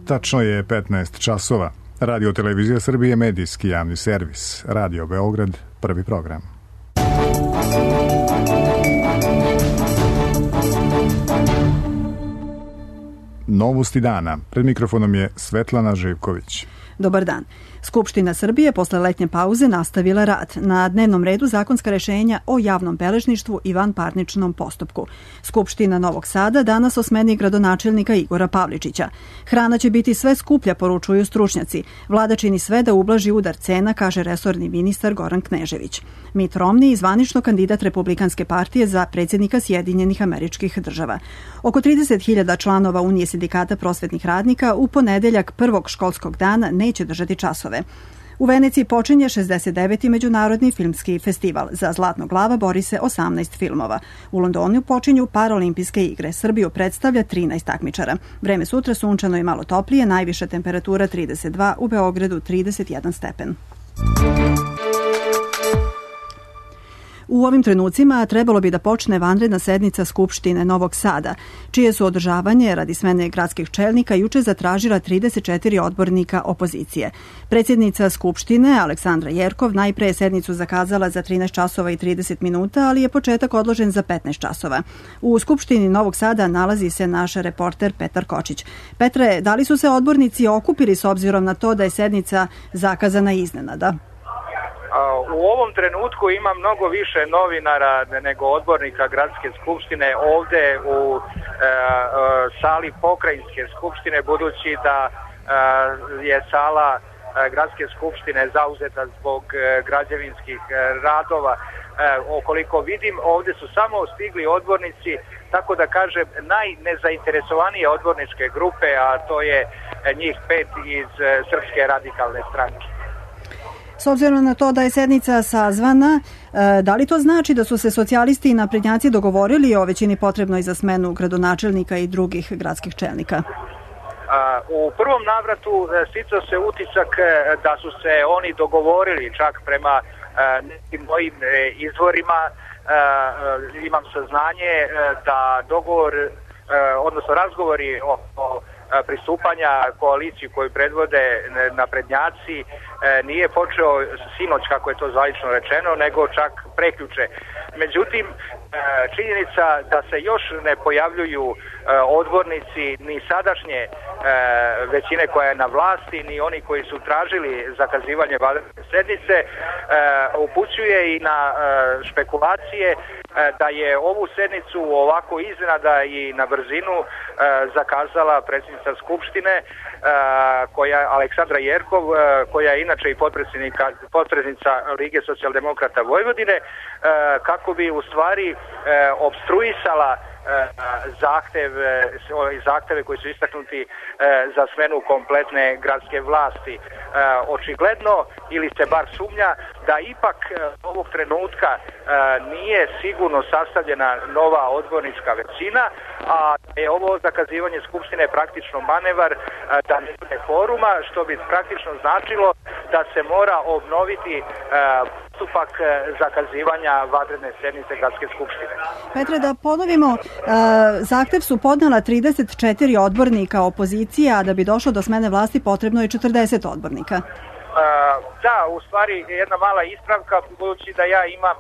Tačno je 15 časova. Radio Televizija Srbije, medijski javni servis. Radio Beograd, prvi program. Novosti dana. Pred mikrofonom je Svetlana Živković. Dobar dan. Skupština Srbije posle letnje pauze nastavila rad. Na dnevnom redu zakonska rešenja o javnom beležništvu i vanparničnom postupku. Skupština Novog Sada danas o smeni gradonačelnika Igora Pavličića. Hrana će biti sve skuplja, poručuju stručnjaci. Vlada čini sve da ublaži udar cena, kaže resorni ministar Goran Knežević. Mitt Romney, zvanično kandidat Republikanske partije za predsjednika Sjedinjenih Američkih Država. Oko 30.000 članova Unije sindikata prosvetnih radnika u ponedeljak prvog školskog dana neće držati časove. U Veneciji počinje 69. Međunarodni filmski festival. Za Zlatnog glava bori se 18 filmova. U Londonu počinju Paraolimpijske igre. Srbiju predstavlja 13 takmičara. Vreme sutra sunčano i malo toplije, najviša temperatura 32, u Beogradu 31 stepen. U ovim trenucima trebalo bi da počne vanredna sednica Skupštine Novog Sada, čije su održavanje radi smene gradskih čelnika juče zatražila 34 odbornika opozicije. Predsjednica Skupštine, Aleksandra Jerkov, najpre je sednicu zakazala za 13 časova i 30 minuta, ali je početak odložen za 15 časova. U Skupštini Novog Sada nalazi se naš reporter Petar Kočić. Petre, da li su se odbornici okupili s obzirom na to da je sednica zakazana iznenada? U ovom trenutku ima mnogo više novinara nego odbornika Gradske skupštine ovde u sali Pokrajinske skupštine, budući da je sala Gradske skupštine zauzeta zbog građevinskih radova. Okoliko vidim, ovde su samo stigli odbornici, tako da kažem, najnezainteresovanije odborničke grupe, a to je njih 5 iz Srpske radikalne stranke. S obzirom na to da je sednica sazvana, da li to znači da su se socijalisti i naprednjaci dogovorili o većini potrebnoj za smenu gradonačelnika i drugih gradskih čelnika? U prvom navratu sticao se utisak da su se oni dogovorili, čak prema nekim mojim izvorima. Imam saznanje da dogovor, odnosno razgovori o pristupanja koaliciji koju predvode naprednjaci nije počeo sinoć, kako je to zvanično rečeno, nego čak prekjuče. Međutim, činjenica da se još ne pojavljuju odbornici ni sadašnje većine koja je na vlasti, ni oni koji su tražili zakazivanje vanredne sednice, upućuje i na špekulacije da je ovu sednicu ovako iznenada i na brzinu zakazala predsjednica Skupštine, Aleksandra Jerkov, koja je inače i potpredsjednica Lige socijaldemokrata Vojvodine, kako bi u stvari opstruisala zahteve koji su istaknuti za smenu kompletne gradske vlasti. Očigledno, ili se bar sumnja, da ipak ovog trenutka nije sigurno sastavljena nova odbornička većina, a je ovo zakazivanje Skupštine praktično manevar da ne bude kvoruma, što bi praktično značilo da se mora obnoviti postupak zakazivanja vanredne sednice Gradske skupštine. Petre, da ponovimo, zahtev su podnela 34 odbornika opozicije, a da bi došlo do smene vlasti potrebno je 40 odbornika. Da, u stvari jedna mala ispravka, budući da ja imam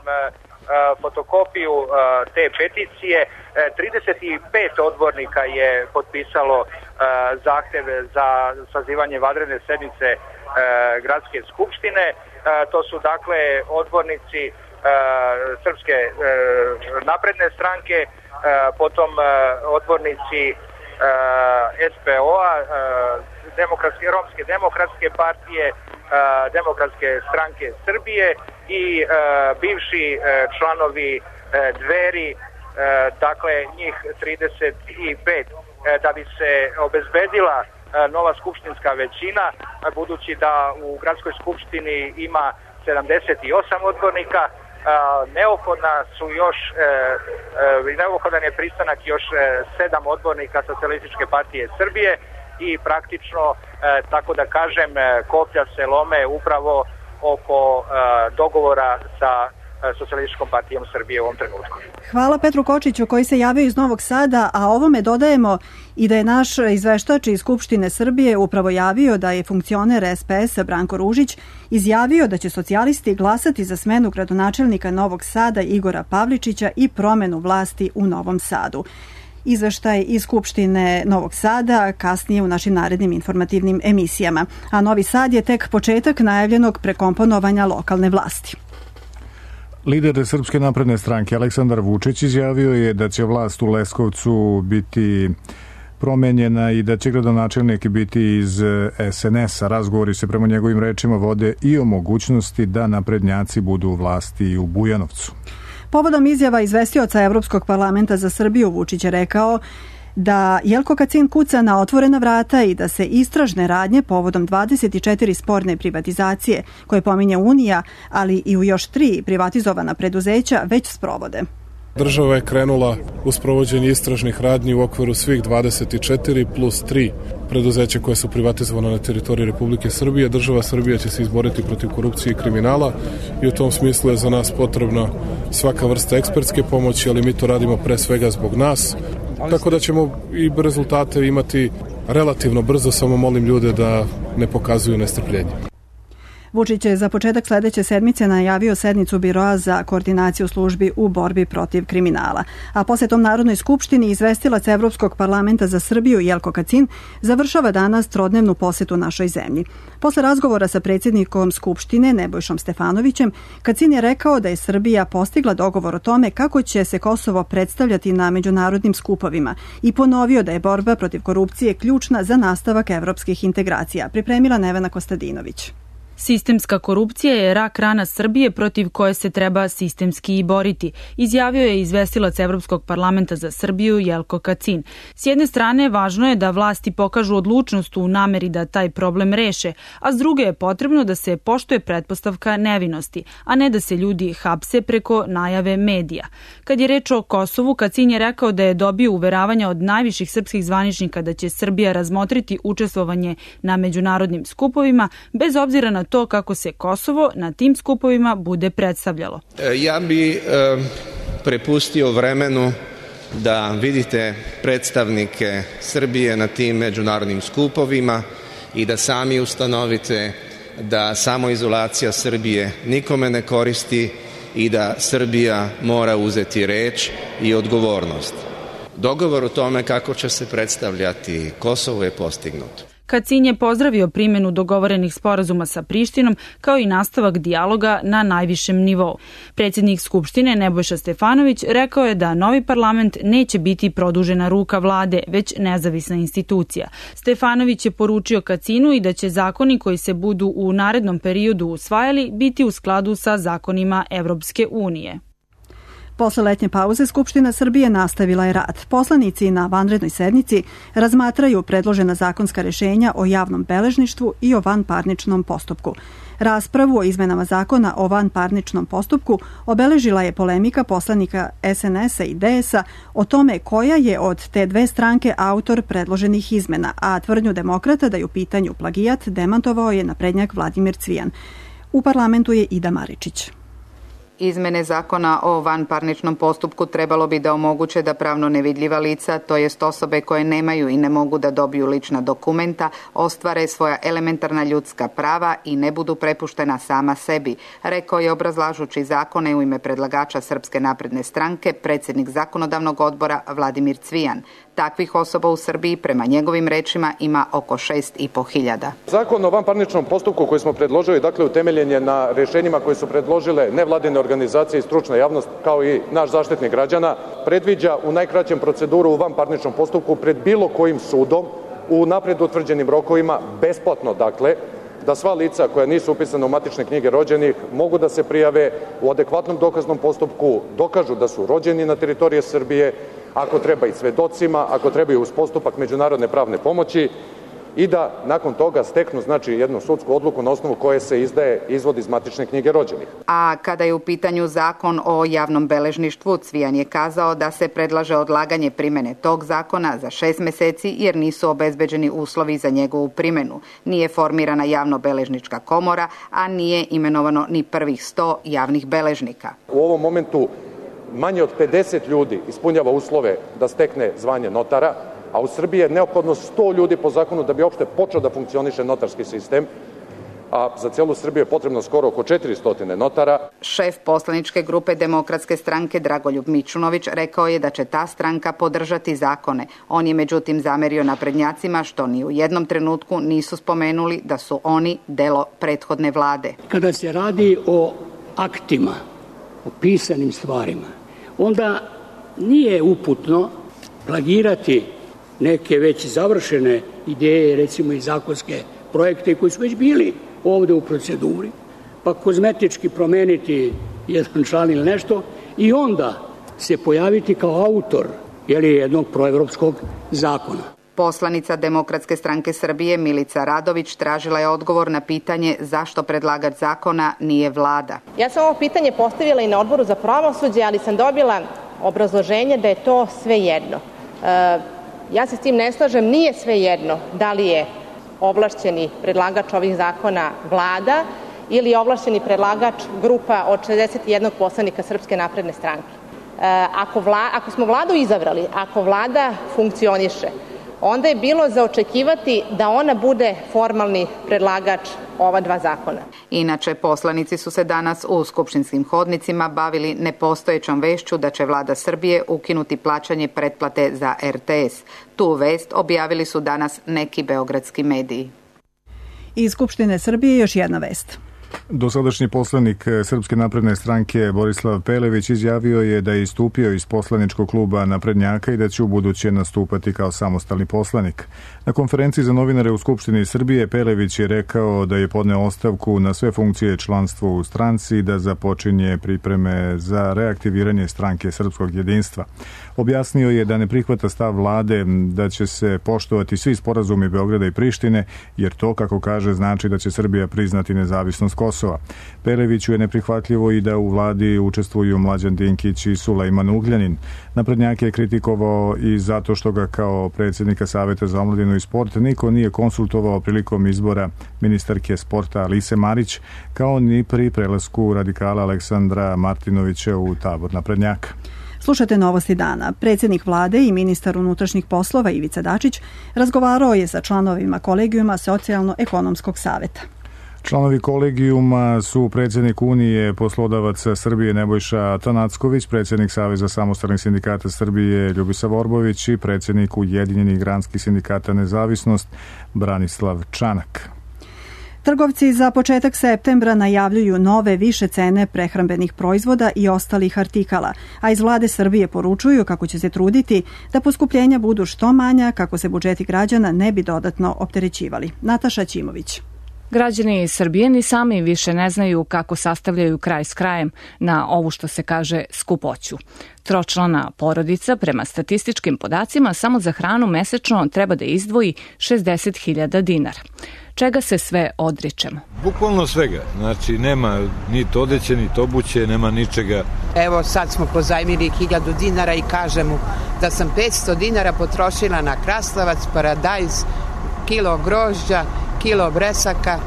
fotokopiju te peticije. 35 odbornika je potpisalo zahtev za sazivanje vanredne sednice Gradske skupštine. To su dakle odbornici Srpske napredne stranke, potom odbornici SPO-a, Romske demokratske partije, Demokratske stranke Srbije i bivši članovi Dveri, dakle njih 35, da bi se obezbedila nova skupštinska većina, budući da u Gradskoj skupštini ima 78 odbornika. Neophodan je pristanak još 7 odbornika Socijalističke partije Srbije i praktično, tako da kažem, koplja se lome upravo oko dogovora sa Socijalističkom partijom Srbije u ovom trenutku. Hvala Petru Kočiću koji se javio iz Novog Sada, a ovome dodajemo i da je naš izveštač iz Skupštine Srbije upravo javio da je funkcioner SPS-a Branko Ružić izjavio da će socijalisti glasati za smenu gradonačelnika Novog Sada Igora Pavličića i promenu vlasti u Novom Sadu. Izveštaj iz Skupštine Novog Sada kasnije u našim narednim informativnim emisijama. A Novi Sad je tek početak najavljenog prekomponovanja lokalne vlasti. Lider Srpske napredne stranke Aleksandar Vučić izjavio je da će vlast u Leskovcu biti promenjena i da će gradonačelnik biti iz SNS-a. Razgovori se prema njegovim rečima vode i o mogućnosti da naprednjaci budu u vlasti i u Bujanovcu. Povodom izjava izvestioca Evropskog parlamenta za Srbiju, Vučić je rekao da Jelko Kacin kuca na otvorena vrata i da se istražne radnje povodom 24 sporne privatizacije koje pominje Unija, ali i u još 3 privatizovana preduzeća već sprovode. Država je krenula u sprovođenje istražnih radnji u okviru svih 24 plus 3 preduzeća koje su privatizovane na teritoriji Republike Srbije. Država Srbija će se izboriti protiv korupcije i kriminala i u tom smislu je za nas potrebna svaka vrsta ekspertske pomoći, ali mi to radimo pre svega zbog nas. Tako da ćemo i rezultate imati relativno brzo, samo molim ljude da ne pokazuju nestrpljenje. Vučić je za početak sledeće sedmice najavio sednicu Biroa za koordinaciju službi u borbi protiv kriminala. A posle Narodnoj skupštini izvestilac Evropskog parlamenta za Srbiju Jelko Kacin završava danas trodnevnu posetu našoj zemlji. Posle razgovora sa predsjednikom Skupštine Nebojšom Stefanovićem, Kacin je rekao da je Srbija postigla dogovor o tome kako će se Kosovo predstavljati na međunarodnim skupovima i ponovio da je borba protiv korupcije ključna za nastavak evropskih integracija. Pripremila Nevena Kostadinović. Sistemska korupcija je rak rana Srbije protiv koje se treba sistemski i boriti, izjavio je izvestilac Evropskog parlamenta za Srbiju Jelko Kacin. S jedne strane, važno je da vlasti pokažu odlučnost u nameri da taj problem reše, a s druge je potrebno da se poštuje pretpostavka nevinosti, a ne da se ljudi hapse preko najave medija. Kad je reč o Kosovu, Kacin je rekao da je dobio uveravanja od najviših srpskih zvaničnika da će Srbija razmotriti učestvovanje na međunarodnim skupovima, bez obzira na to kako se Kosovo na tim skupovima bude predstavljalo. Ja bi prepustio vremenu da vidite predstavnike Srbije na tim međunarodnim skupovima i da sami ustanovite da samoizolacija Srbije nikome ne koristi i da Srbija mora uzeti reč i odgovornost. Dogovor o tome kako će se predstavljati Kosovo je postignut. Kacin je pozdravio primjenu dogovorenih sporazuma sa Prištinom kao i nastavak dijaloga na najvišem nivou. Predsjednik Skupštine Nebojša Stefanović rekao je da novi parlament neće biti produžena ruka vlade, već nezavisna institucija. Stefanović je poručio Kacinu i da će zakoni koji se budu u narednom periodu usvajali biti u skladu sa zakonima Evropske unije. Posle letnje pauze Skupština Srbije nastavila je rad. Poslanici na vanrednoj sednici razmatraju predložena zakonska rešenja o javnom beležništvu i o vanparničnom postupku. Raspravu o izmenama zakona o vanparničnom postupku obeležila je polemika poslanika SNS-a i DS-a o tome koja je od te dve stranke autor predloženih izmena, a tvrdnju demokrata da je u pitanju plagijat demantovao je naprednjak Vladimir Cvijan. U parlamentu je Ida Maričić. Izmene zakona o vanparničnom postupku trebalo bi da omoguće da pravno nevidljiva lica, to jest osobe koje nemaju i ne mogu da dobiju lična dokumenta, ostvare svoja elementarna ljudska prava i ne budu prepuštena sama sebi, rekao je obrazlažući zakone u ime predlagača Srpske napredne stranke, predsjednik zakonodavnog odbora Vladimir Cvijan. Takvih osoba u Srbiji, prema njegovim rečima, ima oko 6.500. Zakon o vanparničnom postupku koji smo predložili, dakle, utemeljen je na rešenjima koje su predložile nevladine organizacije i stručna javnost, kao i naš Zaštitnik građana, predviđa u najkraćem proceduru u vanparničnom postupku pred bilo kojim sudom u napred utvrđenim rokovima, besplatno, dakle, da sva lica koja nisu upisana u matične knjige rođenih mogu da se prijave u adekvatnom dokaznom postupku, dokažu da su rođeni na teritoriji Srbije, ako treba i svedocima, ako treba i uz postupak međunarodne pravne pomoći, i da nakon toga steknu jednu sudsku odluku na osnovu koje se izdaje izvod iz matične knjige rođenih. A kada je u pitanju zakon o javnom beležništvu, Cvijan je kazao da se predlaže odlaganje primene tog zakona za 6 meseci jer nisu obezbeđeni uslovi za njegovu primenu. Nije formirana javno-beležnička komora, a nije imenovano ni prvih 100 javnih beležnika. U ovom momentu manje od 50 ljudi ispunjava uslove da stekne zvanje notara, a u Srbiji je neophodno 100 ljudi po zakonu da bi uopšte počeo da funkcioniše notarski sistem, a za celu Srbiju je potrebno skoro oko 400 notara. Šef poslaničke grupe Demokratske stranke Dragoljub Mićunović rekao je da će ta stranka podržati zakone. On je međutim zamerio naprednjacima što ni u jednom trenutku nisu spomenuli da su oni delo prethodne vlade. Kada se radi o aktima, o pisanim stvarima, onda nije uputno plagirati neke već završene ideje, recimo i zakonske projekte koji su već bili ovde u proceduri, pa kozmetički promeniti jedan član ili nešto i onda se pojaviti kao autor jednog proevropskog zakona. Poslanica Demokratske stranke Srbije Milica Radović tražila je odgovor na pitanje zašto predlagač zakona nije vlada. Ja sam ovo pitanje postavila i na Odboru za pravosuđe, ali sam dobila obrazloženje da je to svejedno. Ja se s tim ne slažem, nije svejedno da li je ovlašćeni predlagač ovih zakona vlada ili ovlašćeni predlagač grupa od 61 poslanika Srpske napredne stranke. Ako smo vladu izabrali, ako vlada funkcioniše, onda je bilo za očekivati da ona bude formalni predlagač ova 2 zakona. Inače, poslanici su se danas u skupštinskim hodnicima bavili nepostojećom vešću da će vlada Srbije ukinuti plaćanje pretplate za RTS. Tu vest objavili su danas neki beogradski mediji. Iz Skupštine Srbije još jedna vest. Dosadašnji poslanik Srpske napredne stranke Borislav Pelević izjavio je da je istupio iz poslaničkog kluba naprednjaka i da će u buduće nastupati kao samostalni poslanik. Na konferenciji za novinare u Skupštini Srbije Pelević je rekao da je podneo ostavku na sve funkcije članstva u stranci i da započinje pripreme za reaktiviranje stranke Srpskog jedinstva. Objasnio je da ne prihvata stav vlade da će se poštovati svi sporazumi Beograda i Prištine, jer to, kako kaže, znači da će Srbija priznati nezavisnost Kosova. Peleviću je neprihvatljivo i da u vladi učestvuju Mlađan Dinkić i Sulejman Ugljanin. Naprednjake je kritikovao i zato što ga kao predsjednika Saveta za omladinu i sport niko nije konsultovao prilikom izbora ministarke sporta Alise Marić, kao ni pri prelasku radikala Aleksandra Martinovića u tabor naprednjaka. Slušate Novosti dana. Predsjednik vlade i ministar unutrašnjih poslova Ivica Dačić razgovarao je sa članovima kolegijuma Socijalno-ekonomskog saveta. Članovi kolegijuma su predsjednik Unije poslodavaca Srbije Nebojša Tanacković, predsjednik Saveza samostalnih sindikata Srbije Ljubisa Vorbović i predsjednik Ujedinjenih granskih sindikata Nezavisnost Branislav Čanak. Trgovci za početak septembra najavljuju nove više cene prehrambenih proizvoda i ostalih artikala, a iz vlade Srbije poručuju kako će se truditi da poskupljenja budu što manja kako se budžeti građana ne bi dodatno opterećivali. Nataša Ćimović. Građani Srbije ni sami više ne znaju kako sastavljaju kraj s krajem na ovu što se kaže skupoću. Tročlana porodica prema statističkim podacima samo za hranu mesečno treba da izdvoji 60.000 dinara. Čega se sve odričemo? Bukvalno svega. Znači nema ni odeće, ni obuće, nema ničega. Evo sad smo pozajmili 1000 dinara i kažem mu da sam 500 dinara potrošila na krastavac, paradajz, kilo grožđa, kilo bresaka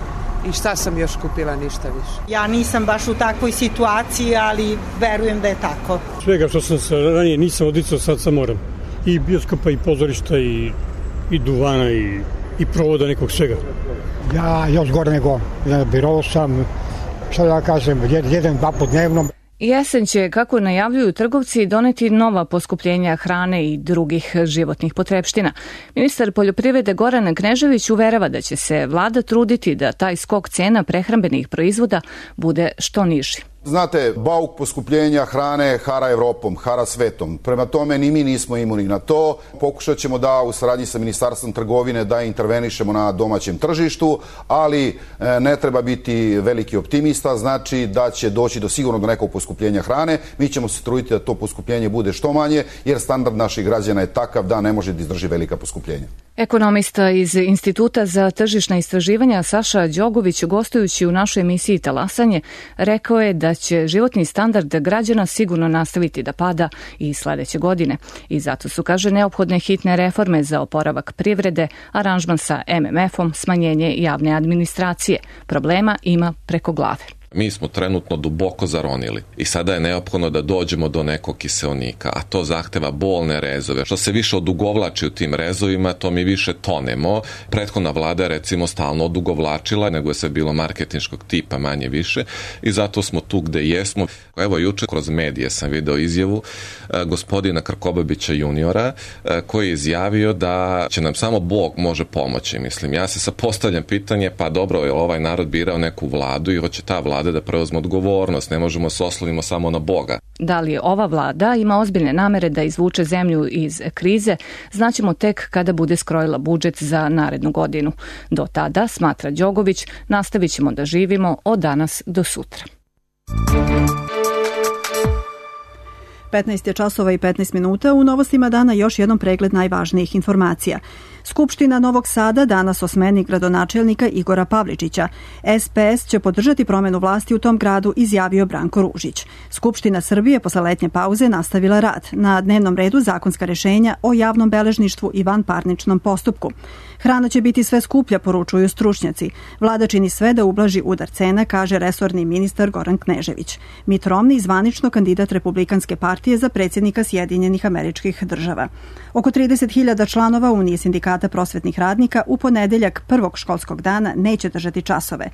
i šta sam još kupila, ništa više. Ja nisam baš u takvoj situaciji, ali verujem da je tako. Svega što sam se ranije nisam odricao, sad sam moram. I bioskopa, i pozorišta, i duvana, i provoda, nekog svega. Ja još gore nego biro sam, što da kažem, 1-2 put dnevno. Jesen će, kako najavljuju trgovci, doneti nova poskupljenja hrane i drugih životnih potrepština. Ministar poljoprivrede Goran Knežević uverava da će se vlada truditi da taj skok cena prehrambenih proizvoda bude što niži. Znate, bauk poskupljenja hrane hara Evropom, hara svetom. Prema tome ni mi nismo imuni na to. Pokušat ćemo da u saradnji sa Ministarstvom trgovine da intervenišemo na domaćem tržištu, ali ne treba biti veliki optimista, znači da će doći sigurno do nekog poskupljenja hrane. Mi ćemo se truditi da to poskupljenje bude što manje, jer standard naših građana je takav da ne može da izdrži velika poskupljenja. Ekonomista iz Instituta za tržišna istraživanja Saša Đogović, gostujući u našoj emisiji Talasanje, rekao je da će životni standard građana sigurno nastaviti da pada i sledeće godine. I zato su, kaže, neophodne hitne reforme za oporavak privrede, aranžman sa MMF-om, smanjenje javne administracije. Problema ima preko glave. Mi smo trenutno duboko zaronili i sada je neophodno da dođemo do nekog kiseonika, a to zahteva bolne rezove. Što se više odugovlači u tim rezovima, to mi više tonemo. Prethodna vlada je recimo stalno odugovlačila, nego je sve bilo marketinškog tipa manje više i zato smo tu gde jesmo. Evo juče kroz medije sam video izjavu gospodina Krkobabića juniora koji je izjavio da će nam samo Bog može pomoći. Mislim, ja se sad postavljam pitanje, pa dobro, je ovaj narod birao neku vladu i hoće ta vlada da preuzme odgovornost, ne možemo se oslonimo samo na Boga. Da li ova vlada ima ozbiljne namere da izvuče zemlju iz krize, znaćemo tek kada bude skrojila budžet za narednu godinu. Do tada, smatra Đogović, nastavit ćemo da živimo od danas do sutra. 15 je časova i 15 minuta. U novostima dana još jednom pregled najvažnijih informacija. Skupština Novog Sada danas o smeni gradonačelnika Igora Pavličića. SPS će podržati promenu vlasti u tom gradu, izjavio Branko Ružić. Skupština Srbije posle letnje pauze nastavila rad. Na dnevnom redu zakonska rešenja o javnom beležništvu i vanparničnom postupku. Hrana će biti sve skuplja, poručuju stručnjaci. Vlada čini sve da ublaži udar cena, kaže resorni ministar Goran Knežević. Mitt Romney, zvanično kandidat Republikanske partije za predsjednika Sjedinjenih Američkih Država. Oko 30.000 članova Unije sindikata prosvetnih radnika u ponedeljak prvog školskog dana neće držati časove.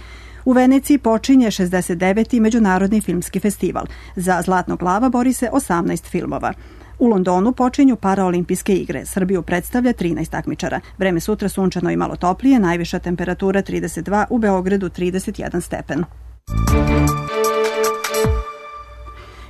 U Veneciji počinje 69. Međunarodni filmski festival. Za Zlatnog lava bori se 18 filmova. U Londonu počinju paraolimpijske igre. Srbiju predstavlja 13 takmičara. Vreme sutra sunčano i malo toplije, najviša temperatura 32, u Beogradu 31 stepen.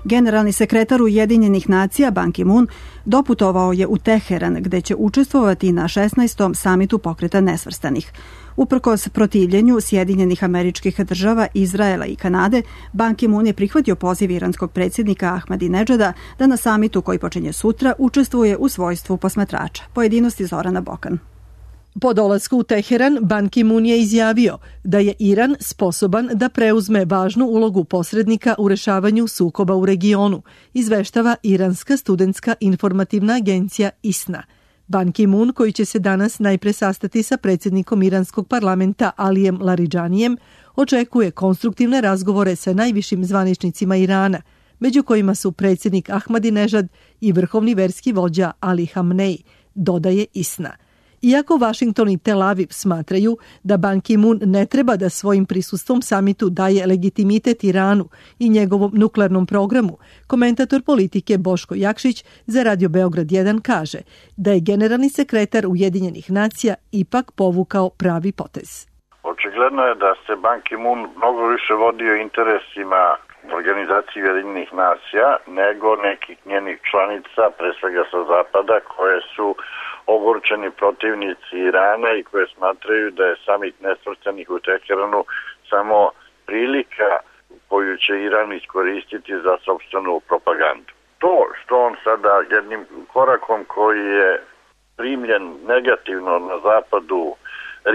Generalni sekretar Ujedinjenih nacija Ban Ki-moon doputovao je u Teheran, gde će učestvovati na 16. samitu pokreta nesvrstanih. Uprkos protivljenju Sjedinjenih Američkih Država, Izraela i Kanade, Ban Ki-moon je prihvatio poziv iranskog predsjednika Ahmadinedžada da na samitu koji počinje sutra učestvuje u svojstvu posmatrača. Pojedinosti Zorana Bokan. Po dolasku u Teheran, Ban Ki-moon je izjavio da je Iran sposoban da preuzme važnu ulogu posrednika u rešavanju sukoba u regionu, izveštava Iranska studentska informativna agencija ISNA. Ban Ki-moon, koji će se danas najpre sastati sa predsjednikom iranskog parlamenta Alijem Laridžanijem, očekuje konstruktivne razgovore sa najvišim zvaničnicima Irana, među kojima su predsjednik Ahmadinežad i vrhovni verski vođa Ali Hamnej, dodaje ISNA. Iako Vašington i Tel Aviv smatraju da Ban Ki-moon ne treba da svojim prisustvom samitu daje legitimitet Iranu i njegovom nuklearnom programu, komentator politike Boško Jakšić za Radio Beograd 1 kaže da je generalni sekretar Ujedinjenih nacija ipak povukao pravi potez. Očigledno je da se Ban Ki-moon mnogo više vodio interesima organizacije Ujedinjenih nacija nego nekih njenih članica, pre svega sa zapada, koje su ogorčeni protivnici Irana i koje smatraju da je samit nesvrstanih u Teheranu samo prilika koju će Iran iskoristiti za sopstvenu propagandu. To što on sada jednim korakom koji je primljen negativno na zapadu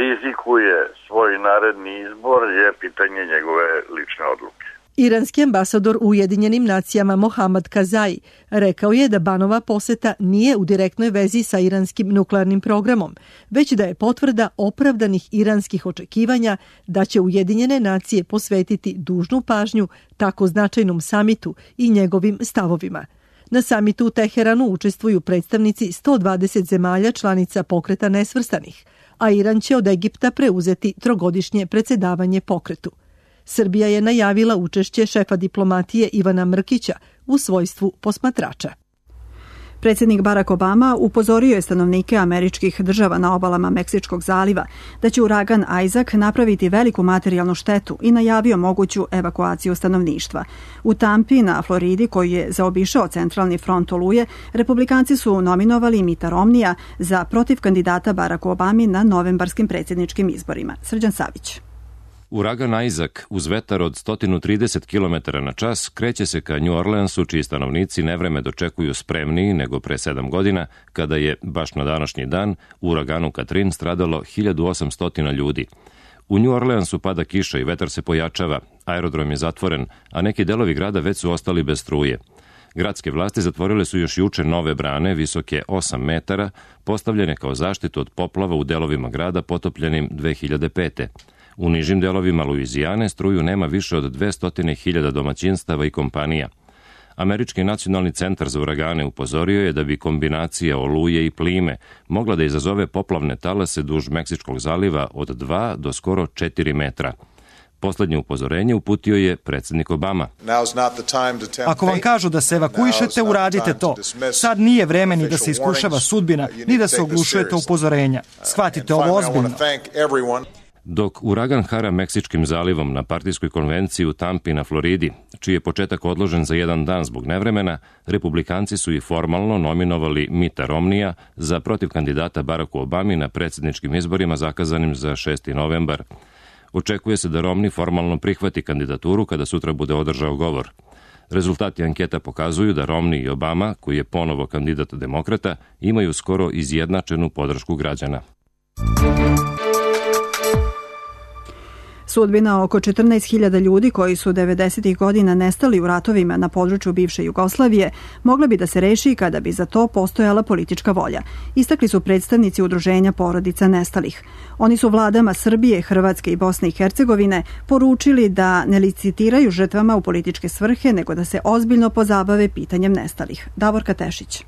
rizikuje svoj naredni izbor je pitanje njegove lične odluke. Iranski ambasador u Ujedinjenim nacijama Mohammad Kazai rekao je da Banova poseta nije u direktnoj vezi sa iranskim nuklearnim programom, već da je potvrda opravdanih iranskih očekivanja da će Ujedinjene nacije posvetiti dužnu pažnju tako značajnom samitu i njegovim stavovima. Na samitu u Teheranu učestvuju predstavnici 120 zemalja članica pokreta nesvrstanih, a Iran će od Egipta preuzeti trogodišnje predsjedavanje pokretu. Srbija je najavila učešće šefa diplomatije Ivana Mrkića u svojstvu posmatrača. Predsjednik Barack Obama upozorio je stanovnike američkih država na obalama Meksičkog zaliva da će uragan Isaac napraviti veliku materijalnu štetu i najavio moguću evakuaciju stanovništva. U Tampi na Floridi, koji je zaobišao centralni front oluje, republikanci su nominovali Mitta Romneya za protiv kandidata Baracku Obami na novembarskim predsjedničkim izborima. Srđan Savić. Uragan Isaac uz vetar od 130 km na čas kreće se ka New Orleansu, čiji stanovnici nevreme dočekuju spremniji nego pre 7 godina, kada je, baš na današnji dan, u uraganu Katrin stradalo 1800 ljudi. U New Orleansu pada kiša i vetar se pojačava, aerodrom je zatvoren, a neki delovi grada već su ostali bez struje. Gradske vlasti zatvorile su još juče nove brane, visoke 8 metara, postavljene kao zaštitu od poplava u delovima grada potopljenim 2005. U nižim delovima Luizijane struju nema više od 200.000 domaćinstava i kompanija. Američki nacionalni centar za uragane upozorio je da bi kombinacija oluje i plime mogla da izazove poplavne talase duž Meksičkog zaliva od 2 do skoro 4 metra. Poslednje upozorenje uputio je predsjednik Obama. Ako vam kažu da se evakuišete, uradite to. Sad nije vreme ni da se iskušava sudbina, ni da se oglušujete upozorenja. Shvatite ovo ozbiljno. Dok uragan hara Meksičkim zalivom na partijskoj konvenciji u Tampi na Floridi, čiji je početak odložen za jedan dan zbog nevremena, republikanci su i formalno nominovali Mitta Romneya za protiv kandidata Baracku Obami na predsjedničkim izborima zakazanim za 6. novembar. Očekuje se da Romney formalno prihvati kandidaturu kada sutra bude održao govor. Rezultati anketa pokazuju da Romney i Obama, koji je ponovo kandidat demokrata, imaju skoro izjednačenu podršku građana. Sudbina oko 14.000 ljudi koji su 90. godina nestali u ratovima na području bivše Jugoslavije mogla bi da se reši kada bi za to postojala politička volja, istakli su predstavnici udruženja porodica nestalih. Oni su vladama Srbije, Hrvatske i Bosne i Hercegovine poručili da ne licitiraju žrtvama u političke svrhe, nego da se ozbiljno pozabave pitanjem nestalih. Davorka Tešić.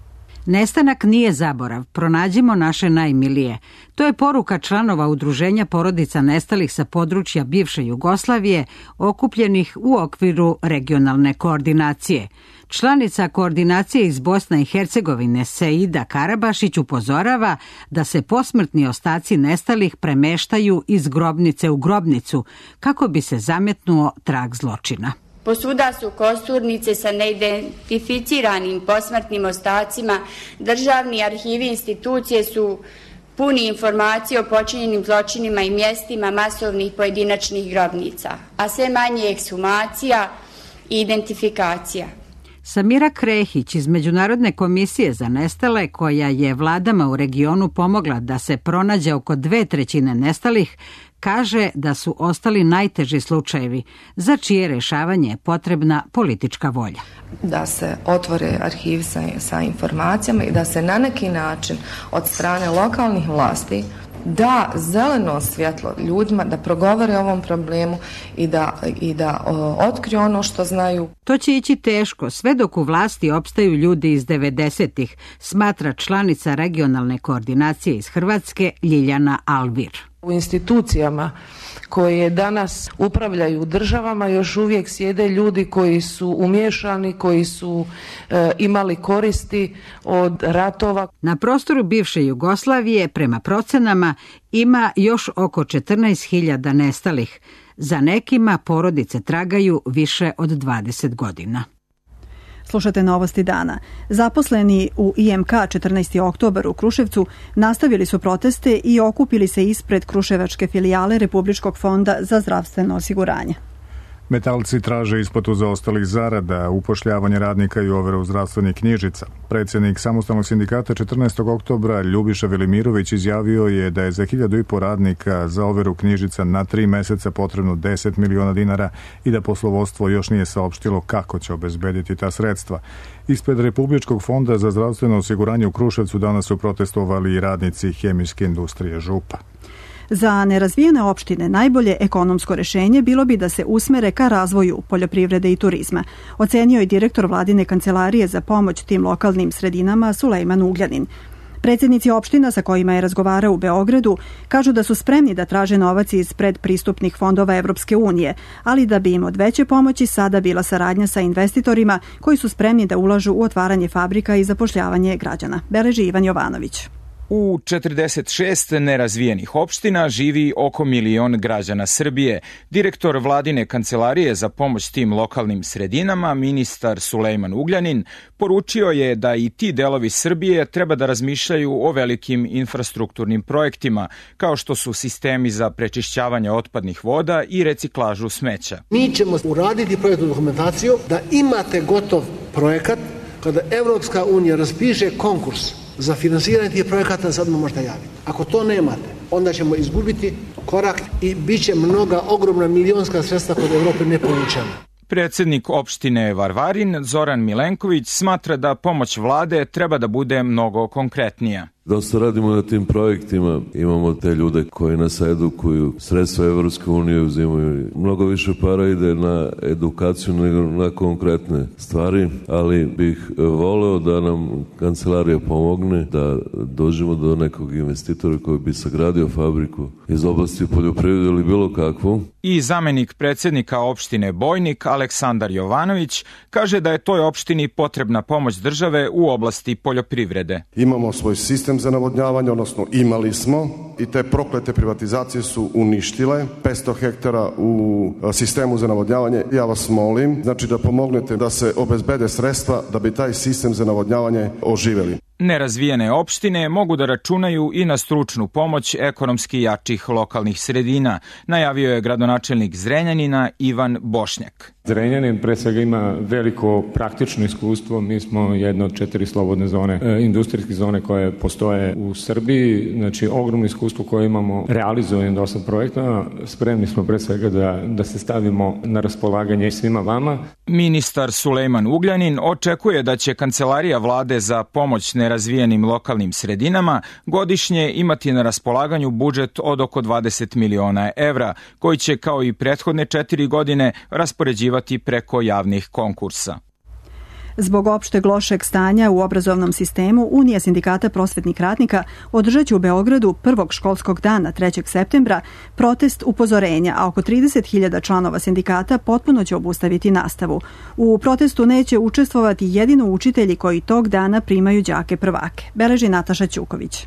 Nestanak nije zaborav, pronađimo naše najmilije. To je poruka članova udruženja porodica nestalih sa područja bivše Jugoslavije, okupljenih u okviru regionalne koordinacije. Članica koordinacije iz Bosne i Hercegovine Seida Karabašić upozorava da se posmrtni ostaci nestalih premeštaju iz grobnice u grobnicu kako bi se zametnuo trag zločina. Posuda su kosturnice sa neidentificiranim posmrtnim ostacima, državni arhivi institucije su puni informacije o počinjenim zločinima i mjestima masovnih pojedinačnih grobnica, a sve manje ekshumacija i identifikacija. Samira Krehić iz Međunarodne komisije za nestale, koja je vladama u regionu pomogla da se pronađe oko 2/3 nestalih, kaže da su ostali najteži slučajevi, za čije rešavanje je potrebna politička volja. Da se otvore arhivi sa informacijama i da se na neki način od strane lokalnih vlasti da zeleno svjetlo ljudima da progovore o ovom problemu i da otkriju ono što znaju. To će ići teško, sve dok u vlasti opstaju ljudi iz 90-ih, smatra članica regionalne koordinacije iz Hrvatske Ljiljana Alvir. U institucijama koje danas upravljaju državama još uvijek sjede ljudi koji su umiješani, koji su imali koristi od ratova. Na prostoru bivše Jugoslavije, prema procenama, ima još oko 14.000 nestalih. Za nekima porodice tragaju više od 20 godina. Slušate novosti dana. Zaposleni u IMK 14. oktobar u Kruševcu nastavili su proteste i okupili se ispred kruševačke filijale Republičkog fonda za zdravstveno osiguranje. Metalci traže isplatu zaostalih zarada, upošljavanje radnika i overu zdravstvenih knjižica. Predsjednik Samostalnog sindikata 14. oktobra Ljubiša Velimirović izjavio je da je za 1.500 radnika za overu knjižica na 3 meseca potrebno 10 miliona dinara i da poslovodstvo još nije saopštilo kako će obezbediti ta sredstva. Ispred Republičkog fonda za zdravstveno osiguranje u Kruševcu danas su protestovali i radnici hemijske industrije Župa. Za nerazvijene opštine najbolje ekonomsko rešenje bilo bi da se usmere ka razvoju poljoprivrede i turizma, ocenio je direktor vladine kancelarije za pomoć tim lokalnim sredinama Sulejman Ugljanin. Predsjednici opština sa kojima je razgovarao u Beogradu kažu da su spremni da traže novac iz predpristupnih fondova Evropske unije, ali da bi im od veće pomoći sada bila saradnja sa investitorima koji su spremni da ulažu u otvaranje fabrika i zapošljavanje građana. Beleži Ivan Jovanović. U 46 nerazvijenih opština živi oko 1 milion građana Srbije. Direktor vladine kancelarije za pomoć tim lokalnim sredinama, ministar Sulejman Ugljanin, poručio je da i ti delovi Srbije treba da razmišljaju o velikim infrastrukturnim projektima, kao što su sistemi za prečišćavanje otpadnih voda i reciklažu smeća. Mi ćemo uraditi projektnu dokumentaciju da imate gotov projekat kada Evropska unija raspiše konkurs za finansiranje tih projekata, sad možete javiti. Ako to nemate, onda ćemo izgubiti korak i bit će mnoga ogromna milionska sredstva kod Evrope ne povučena. Predsednik opštine Varvarin, Zoran Milenković, smatra da pomoć vlade treba da bude mnogo konkretnija. Dosta radimo na tim projektima, imamo te ljude koji nas edukuju, sredstva Evropske unije uzimaju, mnogo više para ide na edukaciju nego na konkretne stvari, ali bih voleo da nam kancelarija pomogne, da dođemo do nekog investitora koji bi sagradio fabriku iz oblasti poljoprivrede ili bilo kakvu. I zamenik predsednika opštine Bojnik, Aleksandar Jovanović, kaže da je toj opštini potrebna pomoć države u oblasti poljoprivrede. Imamo svoj sistem za navodnjavanje, odnosno imali smo, i te proklete privatizacije su uništile 500 hektara u sistemu za navodnjavanje. Ja vas molim, znači da pomognete da se obezbede sredstva da bi taj sistem za navodnjavanje oživeli. Nerazvijene opštine mogu da računaju i na stručnu pomoć ekonomski jačih lokalnih sredina, najavio je gradonačelnik Zrenjanina Ivan Bošnjak. Zrenjanin pre svega ima veliko praktično iskustvo. Mi smo jedna od 4 slobodne zone, industrijske zone koje postoje u Srbiji. Znači, ogromno iskustvo koje imamo, realizujemo dosta projekta. Spremni smo pre svega da se stavimo na raspolaganje svima vama. Ministar Sulejman Ugljanin očekuje da će Kancelarija vlade za pomoć nerazvijenim lokalnim sredinama godišnje imati na raspolaganju budžet od oko 20 miliona evra, koji će kao i prethodne 4 godine raspoređivati preko javnih konkursa. Zbog opšteg lošeg stanja u obrazovnom sistemu, Unija sindikata prosvetnih radnika održat će u Beogradu prvog školskog dana 3. septembra protest upozorenja, a oko 30.000 članova sindikata potpuno će obustaviti nastavu. U protestu neće učestvovati jedino učitelji koji tog dana primaju đake prvake, beleži Nataša Ćuković.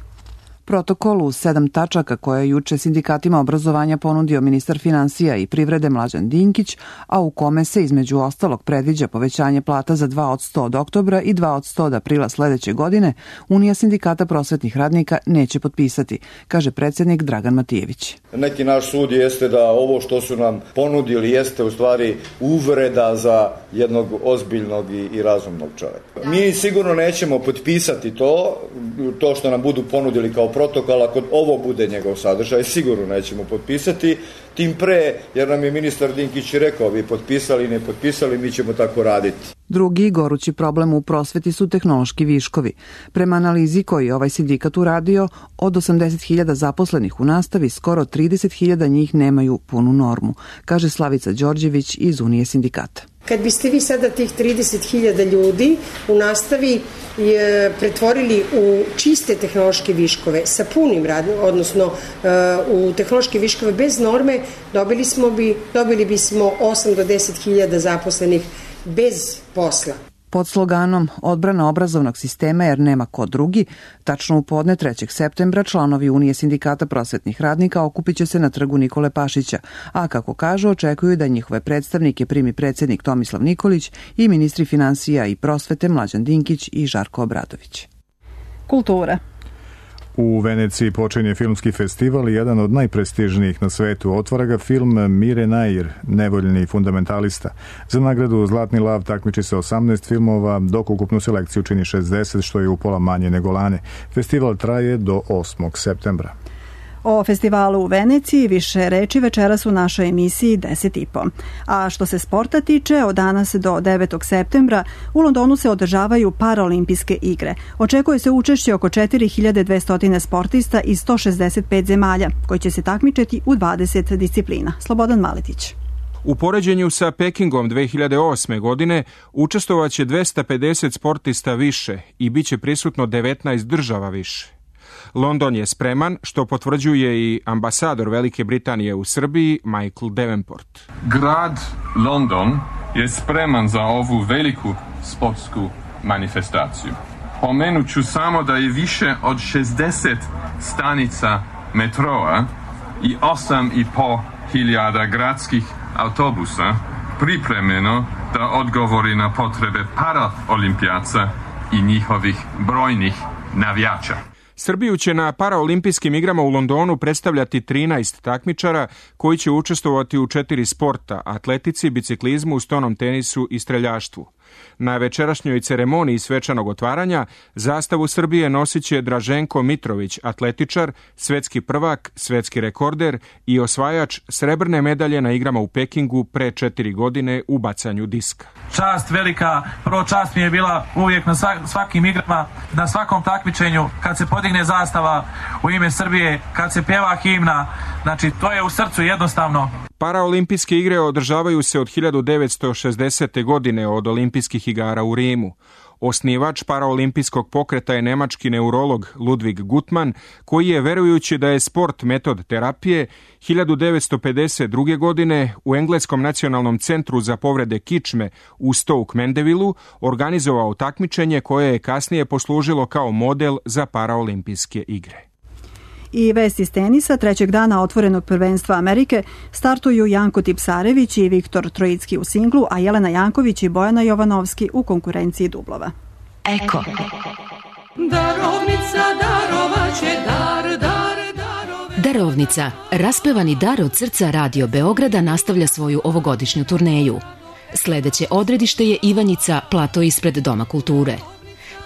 Protokol u 7 tačaka koje je juče sindikatima obrazovanja ponudio ministar finansija i privrede Mlađan Dinkić, a u kome se između ostalog predviđa povećanje plata za 2% od oktobra i 2% od aprila sledeće godine, Unija sindikata prosvetnih radnika neće potpisati, kaže predsednik Dragan Matijević. Neki naš sud jeste da ovo što su nam ponudili jeste u stvari uvreda za jednog ozbiljnog i razumnog čoveka. Mi sigurno nećemo potpisati to što nam budu ponudili kao protokol, ako ovo bude njegov sadržaj, sigurno nećemo potpisati, tim pre, jer nam je ministar Dinkić rekao, vi potpisali, ne potpisali, mi ćemo tako raditi. Drugi gorući problem u prosveti su tehnološki viškovi. Prema analizi koju je ovaj sindikat uradio, od 80.000 zaposlenih u nastavi, skoro 30.000 njih nemaju punu normu, kaže Slavica Đorđević iz Unije sindikata. Kad biste vi sada tih 30.000 ljudi u nastavi pretvorili u čiste tehnološke viškove sa punim radom, odnosno u tehnološke viškove bez norme, dobili bismo 8 do 10.000 zaposlenih bez posla. Pod sloganom Odbrana obrazovnog sistema jer nema ko drugi, tačno u podne 3. septembra članovi Unije sindikata prosvetnih radnika okupit će se na trgu Nikole Pašića, a kako kažu očekuju da njihove predstavnike primi predsednik Tomislav Nikolić i ministri finansija i prosvete Mlađan Dinkić i Žarko Obradović. Kultura. U Veneciji počinje filmski festival i jedan od najprestižnijih na svetu. Otvara ga film Mire Nair, nevoljni fundamentalista. Za nagradu Zlatni lav takmiči se 18 filmova, dok ukupnu selekciju čini 60, što je upola manje nego lane. Festival traje do 8. septembra. O festivalu u Veneciji više reči večeras u našoj emisiji 10.30. A što se sporta tiče, od danas do 9. septembra u Londonu se održavaju paraolimpijske igre. Očekuje se učešće oko 4.200 sportista iz 165 zemalja, koji će se takmičiti u 20 disciplina. Slobodan Maletić. U poređenju sa Pekingom 2008. godine učestvovaće 250 sportista više i bit će prisutno 19 država više. London je spreman, što potvrđuje i ambasador Velike Britanije u Srbiji, Michael Davenport. Grad London je spreman za ovu veliku sportsku manifestaciju. Pomenut ću samo da je više od 60 stanica metroa i 8.500 gradskih autobusa pripremljeno da odgovori na potrebe paraolimpijaca i njihovih brojnih navijača. Srbiju će na paraolimpijskim igrama u Londonu predstavljati 13 takmičara koji će učestvovati u 4 sporta: atletici, biciklizmu, stonom tenisu i streljaštvu. Na večerašnjoj ceremoniji svečanog otvaranja zastavu Srbije nosit će Draženko Mitrović, atletičar, svetski prvak, svetski rekorder i osvajač srebrne medalje na igrama u Pekingu pre 4 godine u bacanju diska. Čast velika, prvo čast mi je bila uvijek na svakim igrama, na svakom takmičenju, kad se podigne zastava u ime Srbije, kad se pjeva himna, znači to je u srcu jednostavno. Paraolimpijske igre održavaju se od 1960. godine od olimpijskih igara u Rimu. Osnivač paraolimpijskog pokreta je nemački neurolog Ludwig Guttmann, koji je, verujući da je sport metod terapije, 1952. godine u Engleskom nacionalnom centru za povrede kičme u Stoke Mandevilleu organizovao takmičenje koje je kasnije poslužilo kao model za paraolimpijske igre. I vest iz tenisa, trećeg dana otvorenog prvenstva Amerike startuju Janko Tipsarević i Viktor Trojicki u singlu, a Jelena Janković i Bojana Jovanovski u konkurenciji dublova. Eko. Darovnica darovaće Darovnica, raspevani dar od srca Radio Beograda nastavlja svoju ovogodišnju turneju. Sledeće odredište je Ivanjica, plato ispred Doma kulture.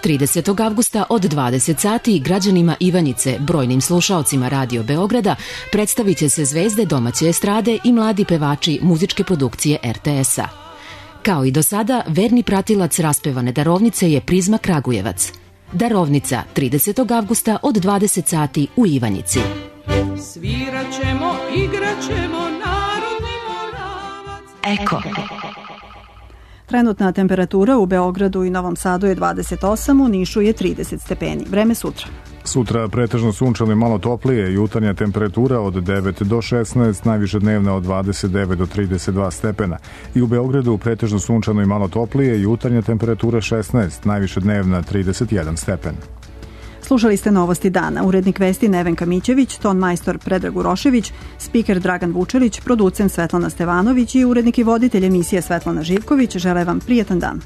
30. avgusta od 20 sati građanima Ivanjice, brojnim slušaocima Radio Beograda, predstavit će se zvezde domaće estrade i mladi pevači muzičke produkcije RTS-a. Kao i do sada, verni pratilac raspevane Darovnice je Prizma Kragujevac. Darovnica, 30. avgusta od 20 sati u Ivanjici. Sviraćemo, igraćemo, narodni moravac. Eko. Trenutna temperatura u Beogradu i Novom Sadu je 28, u Nišu je 30 stepeni. Vreme sutra. Sutra pretežno sunčano i malo toplije, jutarnja temperatura od 9 do 16, najviše dnevna od 29 do 32 stepena. I u Beogradu pretežno sunčano i malo toplije, jutarnja temperatura 16, najviše dnevna 31 stepen. Slušali ste novosti dana. Urednik vesti Nevenka Mićević, ton majstor Predrag Urošević, spiker Dragan Vučelić, producent Svetlana Stevanović i urednik i voditelj emisije Svetlana Živković žele vam prijetan dan.